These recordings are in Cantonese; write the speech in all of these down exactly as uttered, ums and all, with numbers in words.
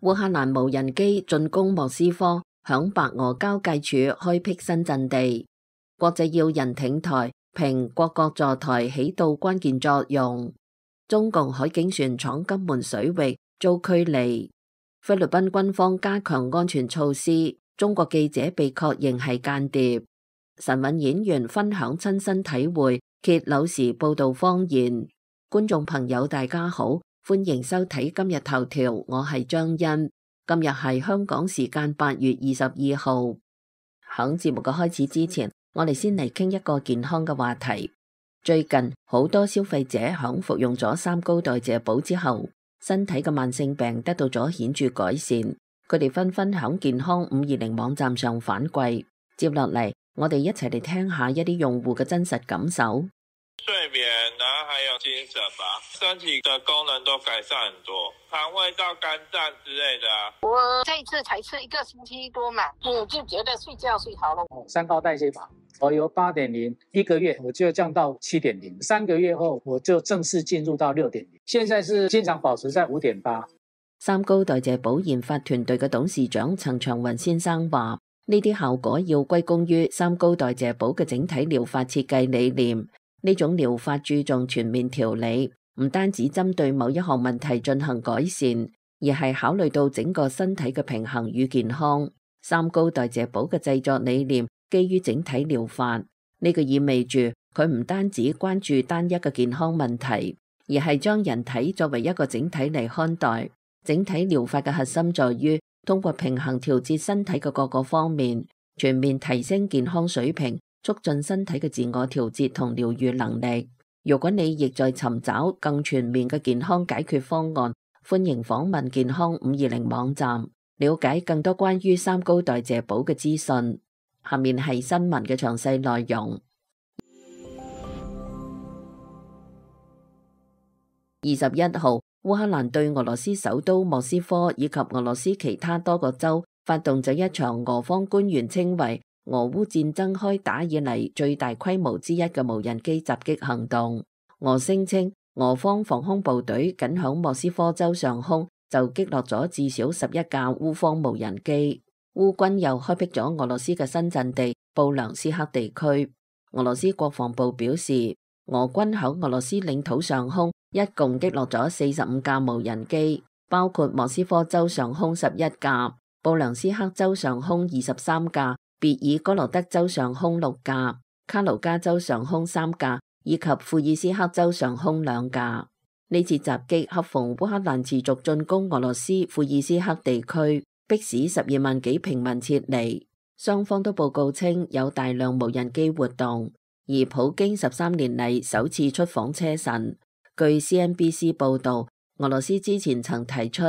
烏克蘭無人機進攻莫斯科，響白俄交界處開闢新陣地。國際要人挺台，評各國助台起到關鍵作用。中共海警船闖金門水域遭驅離。菲律賓軍方加強安全措施，中國記者被確認係間諜。神韻演員分享親身體會，揭柳時報道謊言。觀眾朋友大家好，歡迎收睇今日頭條，我係張欣。今日係香港時間八月二十二號。響節目嘅開始之前，我哋先嚟傾一個健康嘅話題。最近好多消費者響服用咗三高代謝寶之後，身體嘅慢性病得到咗顯著改善。佢哋紛紛響健康五二零網站上反饋。接落嚟，我哋一齊嚟聽下一啲用戶嘅真實感受。睡眠，然後還有精神吧，身體的功能都改善很多，腸胃道、肝臟之類的啊。我這一次才吃一個星期多嘛，我就覺得睡覺睡好了。三高代謝法，我由八點零一個月我就降到七點零，三個月後我就正式進入到六點零，現在是經常保持在五點八。三高代謝寶研發團隊嘅董事長陳長雲先生話：呢啲效果要歸功於三高代謝寶嘅整體療法設計理念。呢種療法注重全面調理，唔單止針對某一項問題進行改善，而係考慮到整個身體嘅平衡與健康。三高代謝寶嘅製作理念基於整體療法，呢個意味住佢唔單止關注單一嘅健康問題，而係將人體作為一個整體嚟看待。整體療法嘅核心在於通過平衡調節身體嘅各個方面，全面提升健康水平，促進身體嘅自我調節同療癒能力。如果你亦在尋找更全面嘅健康解決方案，歡迎訪問健康五二零網站，了解更多關於三高代謝寶嘅資訊。下面係新聞嘅詳細內容。二十一號，烏克蘭對俄羅斯首都莫斯科以及俄羅斯其他多個州發動咗一場俄方官員稱為俄烏戰爭開打以嚟最大規模之一嘅無人機襲擊行動。俄聲稱俄方防空部隊僅響莫斯科州上空就擊落咗至少十一架烏方無人機。烏軍又開闢咗俄羅斯嘅新陣地布良斯克地區。俄羅斯國防部表示，俄軍響俄羅斯領土上空一共擊落咗四十五架無人機，包括莫斯科州上空十一架，布良斯克州上空二十三架，別爾哥羅德州上空六架，卡盧加州上空三架，以及庫爾斯克州上空兩架。呢次襲擊恰逢烏克蘭持續進攻俄羅斯庫爾斯克地區，迫使十二萬幾平民撤離。雙方都報告稱有大量無人機活動，而普京十三年嚟首次出訪車臣。據 C N B C 報道，俄羅斯之前曾提出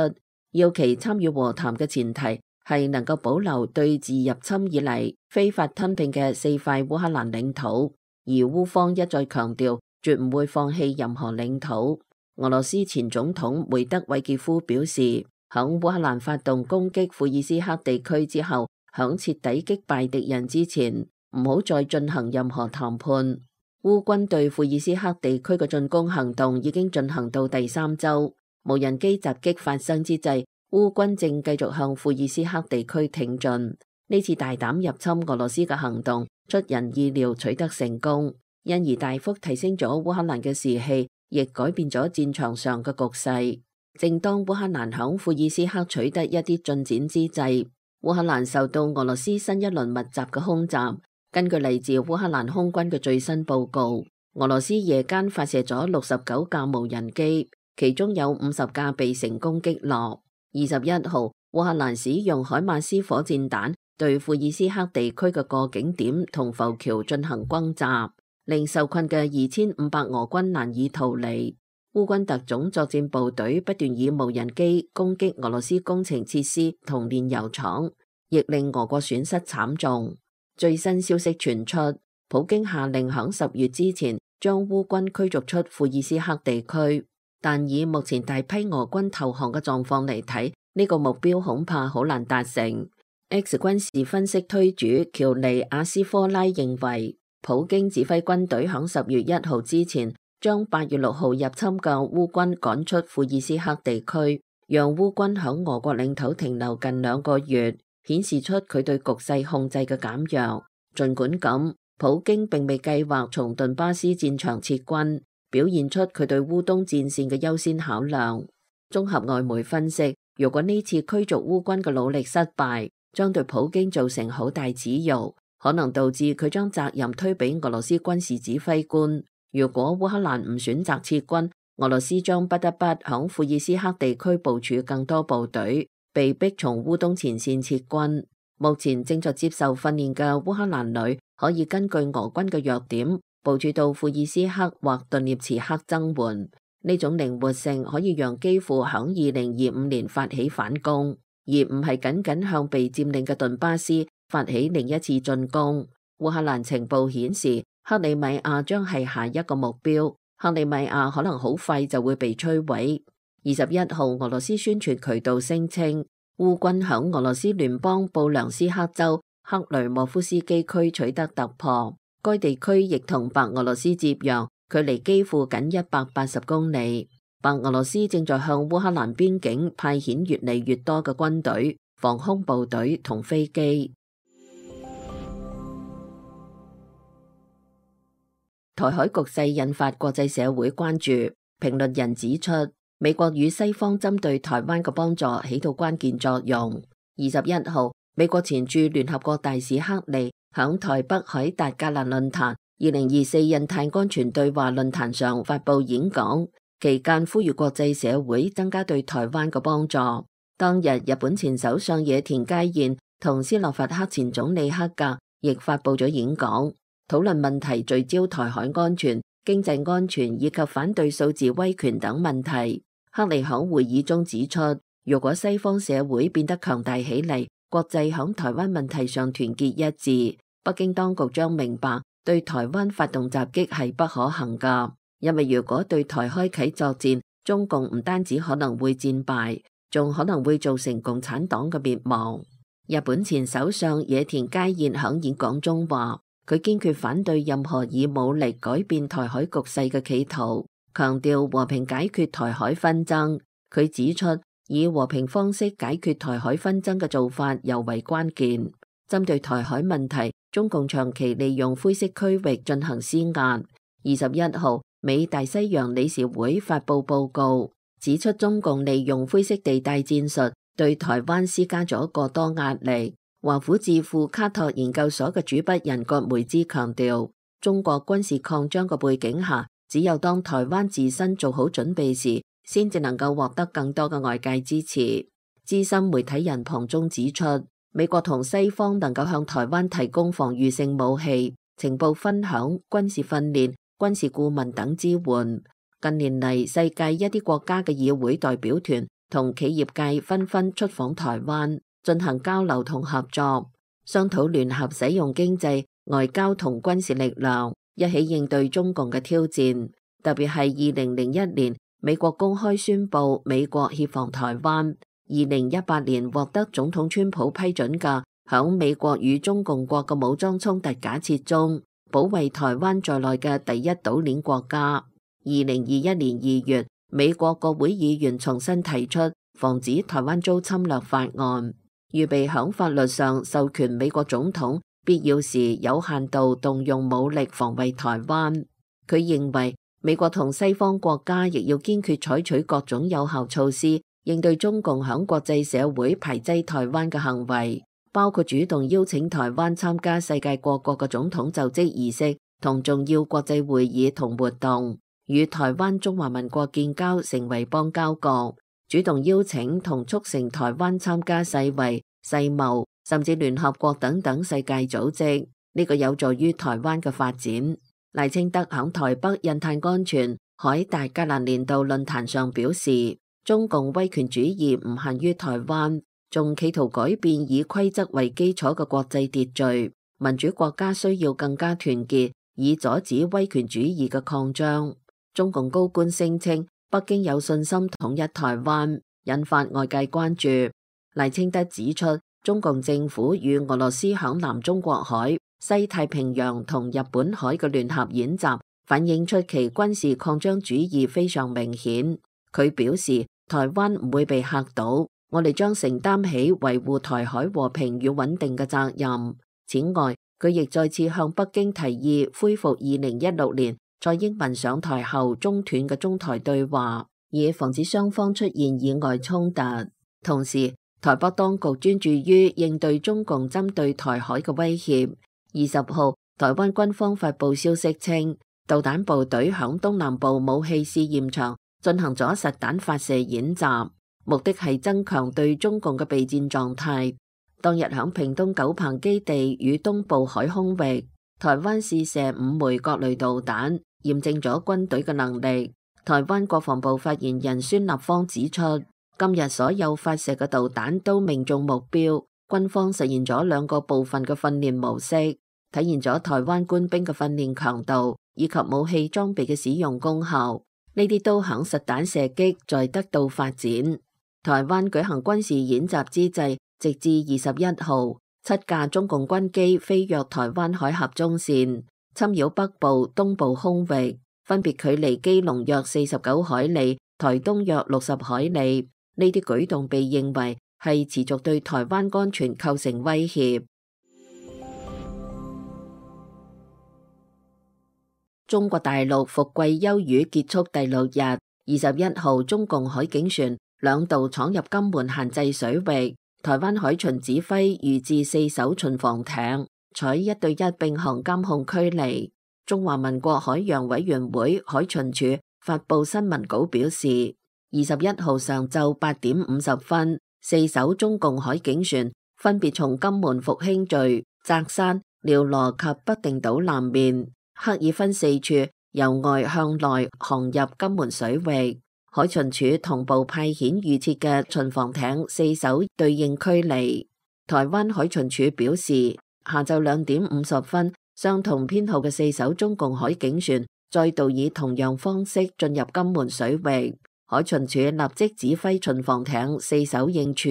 要其參與和談嘅前提係能夠保留對自入侵以嚟非法吞併嘅四塊烏克蘭領土，而烏方一再強調絕唔會放棄任何領土。俄羅斯前總統梅德韋傑夫表示，響烏克蘭發動攻擊庫爾斯克地區之後，響徹底擊敗敵人之前，唔好再進行任何談判。烏軍對庫爾斯克地區嘅進攻行動已經進行到第三周，無人機襲擊發生之際，烏軍正繼續向庫爾斯克地區挺進。呢次大膽入侵俄羅斯嘅行動出人意料取得成功，因而大幅提升咗烏克蘭嘅士氣，亦改變咗戰場上嘅局勢。正當烏克蘭響庫爾斯克取得一啲進展之際，烏克蘭受到俄羅斯新一輪密集嘅空襲。根據嚟自烏克蘭空軍嘅最新報告，俄羅斯夜間發射咗六十九架無人機，其中有五十架被成功擊落。二十一號，烏克蘭使用海馬斯火箭彈對庫爾斯克地區嘅過境點同浮橋進行轟炸，令受困嘅二千五百俄軍難以逃離。烏軍特種作戰部隊不斷以無人機攻擊俄羅斯工程設施同煉油廠，亦令俄國損失慘重。最新消息傳出，普京下令響十月之前將烏軍驅逐出庫爾斯克地區，但以目前大批俄軍投降嘅狀況嚟睇，呢個目標恐怕好難達成。X 軍事分析推主喬尼亞斯科拉認為，普京指揮軍隊響十月一號之前將八月六號入侵嘅烏軍趕出庫爾斯克地區，讓烏軍響俄國領土停留近兩個月，顯示出佢對局勢控制嘅減弱。儘管咁，普京並未計劃從頓巴斯戰場撤軍，表現出佢對烏東戰線嘅優先考量。綜合外媒分析，如果呢次驅逐烏軍嘅努力失敗，將對普京造成好大恥辱，可能導致佢將責任推俾俄羅斯軍事指揮官。如果烏克蘭唔選擇撤軍，俄羅斯將不得不響庫爾斯克地區部署更多部隊，被逼從烏東前線撤軍。目前正在接受訓練嘅烏克蘭女可以根據俄軍嘅弱點部署到庫爾斯克或頓涅茨克增援。呢種靈活性可以讓基輔響二零二五年發起反攻，而唔係僅僅向被佔領嘅頓巴斯發起另一次進攻。烏克蘭情報顯示，克里米亞將係下一個目標，克里米亞可能好快就會被摧毀。二十一號，俄羅斯宣傳渠道聲稱，烏軍響俄羅斯聯邦布良斯克州克雷莫夫斯基區取得突破，該地區亦同白俄羅斯接壤，距離基輔僅一百八十公里。白俄羅斯正在向烏克蘭邊境派遣越嚟越多嘅軍隊、防空部隊同飛機。台海局勢引發國際社會關注，評論人指出，美國與西方針對台灣嘅幫助起到關鍵作用。二十一號，美國前駐聯合國大使克利響台北凱達格蘭論壇二零二四印太安全對話論壇上發布演講，期間呼籲國際社會增加對台灣嘅幫助。當日，日本前首相野田佳彥同斯洛伐克前總理克格亦發布咗演講，討論問題聚焦台海安全、經濟安全以及反對數字威權等問題。克利響會議中指出，如果西方社會變得強大起嚟，國際響台灣問題上團結一致，北京當局將明白對台灣發動襲擊係不可行噶。因為如果對台開啟作戰，中共唔單止可能會戰敗，仲可能會造成共產黨嘅滅亡。日本前首相野田佳彥響演講中話，佢堅決反對任何以武力改變台海局勢嘅企圖，強調和平解決台海紛爭。佢指出，以和平方式解決台海紛爭嘅做法尤為關鍵。針對台海問題，中共長期利用灰色區域進行施壓。二十一號，美大西洋理事會發布報告，指出中共利用灰色地帶戰術對台灣施加咗過多壓力。華府智庫卡托研究所嘅主筆人葛梅茲強調，中國軍事擴張嘅背景下，只有當台灣自身做好準備時，先至能夠獲得更多嘅外界支持。資深媒體人龐中指出，美國同西方能夠向台灣提供防禦性武器、情報分享、軍事訓練、軍事顧問等支援。近年嚟，世界一啲國家嘅議會代表團同企業界紛紛出訪台灣，進行交流同合作，商討聯合使用經濟、外交同軍事力量，一起應對中共嘅挑戰。特別係二零零一年，美國公開宣布美國協防台灣；二零一八年獲得總統川普批准嘅，響美國與中共國嘅武裝衝突假設中，保衛台灣在內嘅第一島鏈國家。二零二一年二月，美國國會議員重新提出防止台灣遭侵略法案，預備響法律上授權美國總統必要時有限度動用武力防衛台灣。佢認為美國同西方國家亦要堅決採取各種有效措施，應對中共響國際社會排擠台灣嘅行為，包括主動邀請台灣參加世界各國嘅總統就職儀式同重要國際會議同活動，與台灣中華民國建交成為邦交國，主動邀請同促成台灣參加世衛、世貿甚至聯合國等等世界組織，呢個有助於台灣嘅發展。賴清德響台北印太安全凱達格蘭年度論壇上表示，中共威權主義唔限於台灣，仲企圖改變以規則為基礎嘅國際秩序。民主國家需要更加團結，以阻止威權主義嘅擴張。中共高官聲稱北京有信心統一台灣，引發外界關注。賴清德指出，中共政府與俄羅斯響南中國海、西太平洋同日本海嘅聯合演習，反映出其軍事擴張主義非常明顯。佢表示，台灣唔會被嚇到，我哋將承擔起維護台海和平與穩定嘅責任。此外，佢亦再次向北京提議恢復二零一六年蔡英文上台後中斷嘅中台對話，以防止雙方出現意外衝突。同時，台北當局專注於應對中共針對台海嘅威脅。二十號，台灣軍方發布消息稱，導彈部隊響東南部武器試驗場進行咗實彈發射演習，目的係增強對中共嘅備戰狀態。當日響屏東九鵬基地與東部海空域，台灣試射五枚各類導彈，驗證咗軍隊嘅能力。台灣國防部發言人孫立方指出，今日所有發射嘅導彈都命中目標，軍方實現咗兩個部分嘅訓練模式，體現咗台灣官兵嘅訓練強度以及武器裝備嘅使用功效。呢啲都響實彈射擊在得到發展。台灣舉行軍事演習之際，直至二十一號，七架中共軍機飛越台灣海峽中線，侵擾北部、東部空域，分別距離基隆約四十九海里、台東約六十海里。呢啲舉動被認為係持續對台灣安全構成威脅。中國大陸伏季休漁結束第六日，二十一號，中共海警船兩度闖入金門限制水域，台灣海巡指揮預置四艘巡防艇，採一對一並行監控驅離。中華民國海洋委員會海巡署發布新聞稿表示，二十一號上晝八點五十分，四艘中共海警船分別從金門復興嶼、澤山、廖羅及北定島南面，刻意分四處由外向內航入金門水域。海巡署同步派遣預設嘅巡防艇四艘對應驅離。台灣海巡署表示，下晝兩點五十分，相同編號嘅四艘中共海警船再度以同樣方式進入金門水域。海巡署立即指揮巡防艇四艘應處，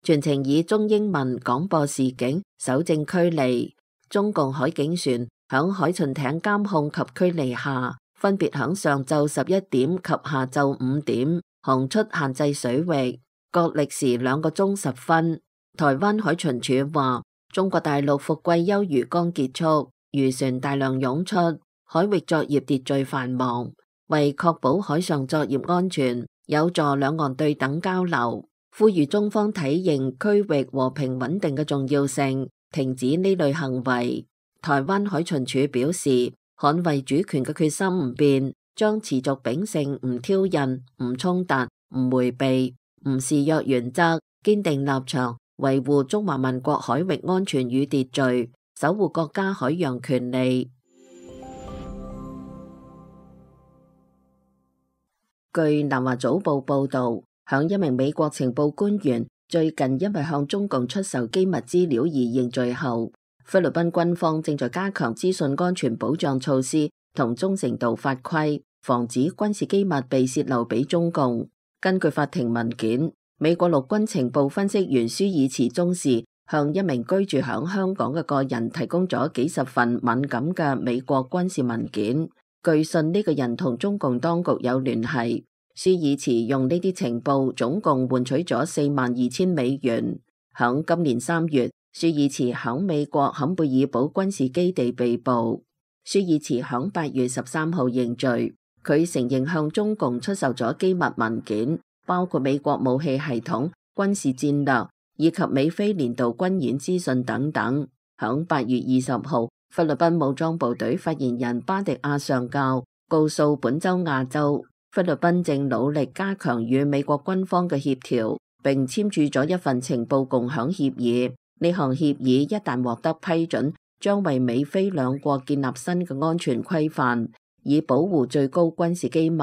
全程以中英文廣播示警，搜證驅離。中共海警船響海巡艇監控及驅離下，分別響上晝十一點及下晝五點航出限制水域，各歷時兩個鐘十分。台灣海巡署話，中國大陸伏季休漁剛結束，漁船大量湧出，海域作業秩序繁忙。為確保海上作業安全，有助兩岸對等交流，呼籲中方體認區域和平穩定嘅重要性，停止呢類行為。台灣海巡署表示，捍衛主權嘅決心唔變，將持續秉承唔挑釁、唔衝突、唔迴避、唔示弱原則，堅定立場，維護中華民國海域安全與秩序，守護國家海洋權利。據南華早報報道，響一名美國情報官員最近因為向中共出售機密資料而認罪後，菲律賓軍方正在加強資訊安全保障措施同忠誠度法規，防止軍事機密被洩漏俾中共。根據法庭文件，美國陸軍情報分析員舒爾茨中士向一名居住響香港嘅個人提供咗幾十份敏感嘅美國軍事文件。據信呢個人同中共當局有聯繫，舒爾茨用呢啲情報總共換取咗四萬二千美元。響今年三月，舒爾茨響美國坎貝爾堡軍事基地被捕。舒爾茨響八月十三號認罪，佢承認向中共出售咗機密文件，包括美國武器系統、軍事戰略以及美菲年度軍演資訊等等。響八月二十號，菲律賓武裝部隊發言人巴迪亞上校告訴本周亞洲，菲律賓正努力加強與美國軍方嘅協調，並簽署咗一份情報共享協議。呢項協議一旦獲得批准，將為美菲兩國建立新嘅安全規範，以保護最高軍事機密，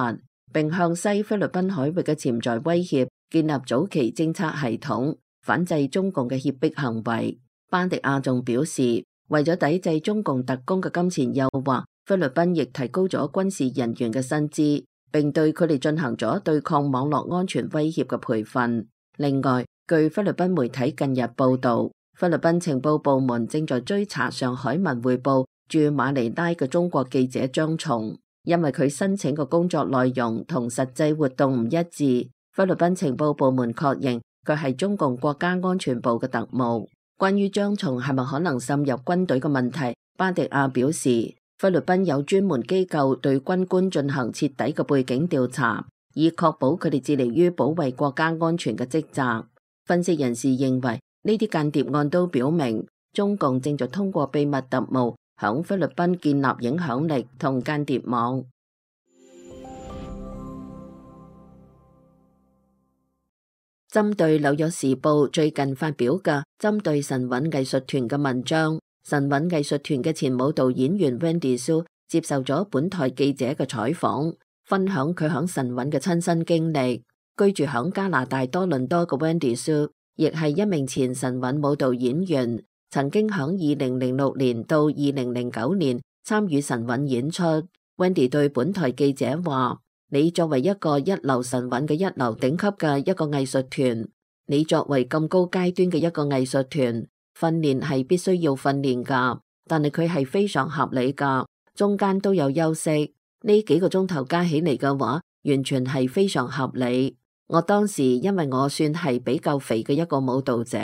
並向西菲律賓海域嘅潛在威脅建立早期偵測系統，反制中共嘅脅迫行為。巴迪亞仲表示，為咗抵制中共特工嘅金錢誘惑，菲律賓亦提高咗軍事人員嘅薪資，並對佢哋進行咗對抗網絡安全威脅嘅培訓。另外，據菲律賓媒體近日報道，菲律賓情報部門正在追查上海文匯報駐馬尼拉嘅中國記者張松，因為佢申請嘅工作內容同實際活動唔一致，菲律賓情報部門確認佢係中共國家安全部嘅特務。關於張松係咪可能滲入軍隊嘅問題，巴迪亞表示，菲律賓有專門機構對軍官進行徹底嘅背景調查，以確保佢哋致力於保衛國家安全嘅職責。分析人士認為，呢啲間諜案都表明，中共正在通過秘密特務響菲律賓建立影響力同間諜網。針對《紐約時報》最近發表嘅針對神韻藝術團嘅文章，神韻藝術團嘅前舞蹈演員 Wendy Hsu 接受咗本台記者嘅採訪，分享佢響神韻嘅親身經歷。居住響加拿大多倫多嘅 Wendy Hsu 亦係一名前神韻舞蹈演員，曾經響二零零六年到二零零九年參與神韻演出。Wendy 對本台記者話：你作為一個一流神韻嘅一流頂級嘅一個藝術團，你作為咁高階段嘅一個藝術團，訓練係必須要訓練噶，但係佢係非常合理噶，中間都有休息，呢幾個鐘頭加起嚟嘅話，完全係非常合理。我當時因為我算係比較肥嘅一個舞蹈者，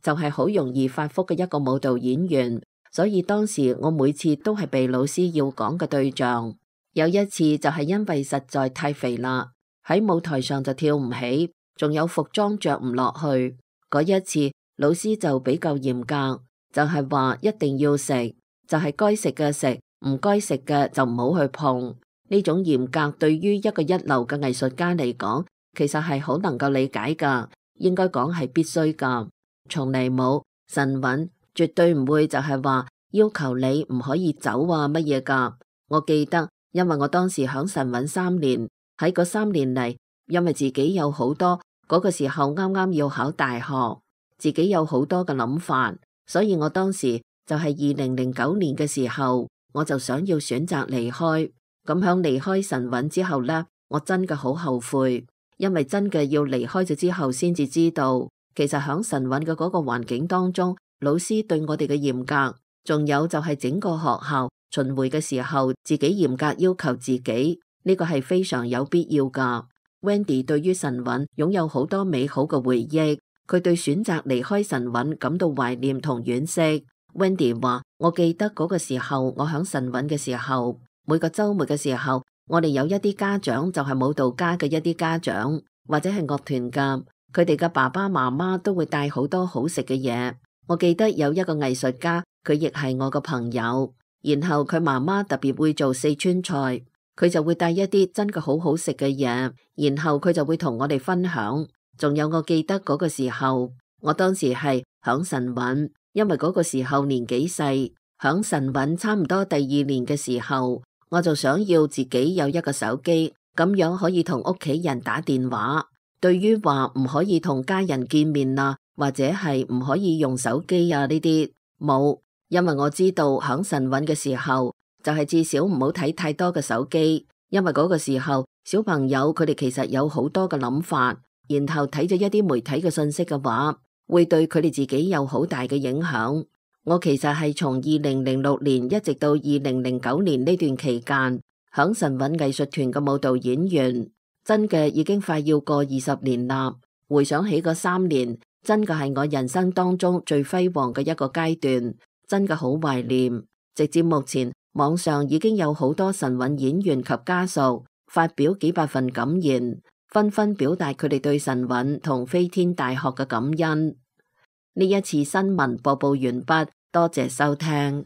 就係好容易發福嘅一個舞蹈演員，所以當時我每次都係被老師要講嘅對象。有一次就係因為實在太肥啦，喺舞台上就跳唔起，仲有服裝着唔落去。嗰一次老師就比較嚴格，就係話一定要食，就係該食嘅食，唔該食嘅就唔好去碰。呢種嚴格對於一個一流嘅藝術家嚟講，其實係好能夠理解噶，應該講係必須噶。從嚟冇神韻絕對唔會就係話要求你唔可以走啊乜嘢噶。我記得。因為我當時響神韻三年，喺嗰三年嚟，因為自己有好多嗰個時候啱啱要考大學，自己有好多嘅諗法，所以我當時就係二零零九年嘅時候，我就想要選擇離開。咁響離開神韻之後呢，我真嘅好後悔，因為真嘅要離開咗之後先至知道，其實響神韻嘅嗰個環境當中，老師對我哋嘅嚴格，仲有就係整個學校。巡迴嘅時候，自己嚴格要求自己，呢個係非常有必要噶。Wendy 對於神韻擁有好多美好嘅回憶，佢對選擇離開神韻感到懷念同惋惜。Wendy 話：我記得嗰個時候，我響神韻嘅時候，每個週末嘅時候，我哋有一啲家長就係舞蹈家嘅一啲家長，或者係樂團噶，佢哋嘅爸爸媽媽都會帶好多好食嘅嘢。我記得有一個藝術家，佢亦係我個朋友。然後佢媽媽特別會做四川菜，佢就會帶一啲真嘅好好食嘅嘢，然後佢就會同我哋分享。仲有我記得嗰個時候，我當時係響神韻，因為嗰個時候年紀細，響神韻差唔多第二年嘅時候，我就想要自己有一個手機，咁樣可以同屋企人打電話。對於話唔可以同家人見面啊，或者係唔可以用手機啊呢啲冇。因為我知道響神韻嘅時候，就係至少唔好睇太多嘅手機，因為嗰個時候小朋友佢哋其實有好多嘅諗法，然後睇咗一啲媒體嘅信息嘅話，會對佢哋自己有好大嘅影響。我其實係從二零零六年一直到二零零九年呢段期間，響神韻藝術團嘅舞蹈演員，真嘅已經快要過二十年啦。回想起嗰三年，真嘅係我人生當中最輝煌嘅一個階段。真嘅好懷念，直至目前網上已經有好多神韻演員及家屬發表幾百份感言，紛紛表達佢哋對神韻同飛天大學嘅感恩。呢一次新聞播報完畢，多謝收聽。